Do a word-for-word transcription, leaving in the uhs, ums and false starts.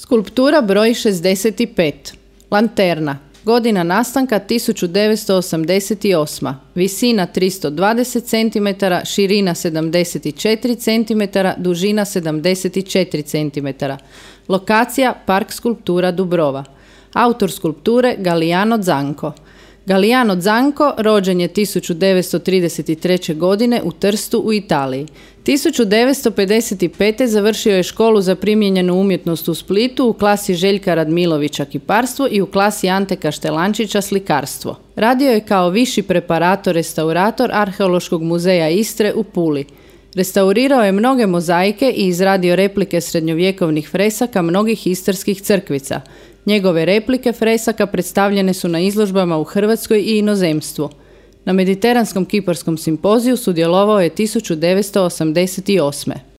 Skulptura broj šezdeset pet. Lanterna. Godina nastanka tisuću devetsto osamdeset osma. Visina tristo dvadeset centimetara, širina sedamdeset četiri centimetra, dužina sedamdeset četiri centimetra. Lokacija Park skulptura Dubrova. Autor skulpture Galliano Zanco. Galliano Zanco rođen je tisuću devetsto trideset treće. godine u Trstu u Italiji. tisuću devetsto pedeset pete. završio je školu za primijenjenu umjetnost u Splitu u klasi Željka Radmilovića kiparstvo i u klasi Ante Kaštelančića slikarstvo. Radio je kao viši preparator restaurator Arheološkog muzeja Istre u Puli. Restaurirao je mnoge mozaike i izradio replike srednjovjekovnih fresaka mnogih istarskih crkvica. Njegove replike fresaka predstavljene su na izložbama u Hrvatskoj i inozemstvu. Na Mediteranskom kiparskom simpoziju sudjelovao je tisuću devetsto osamdeset osme.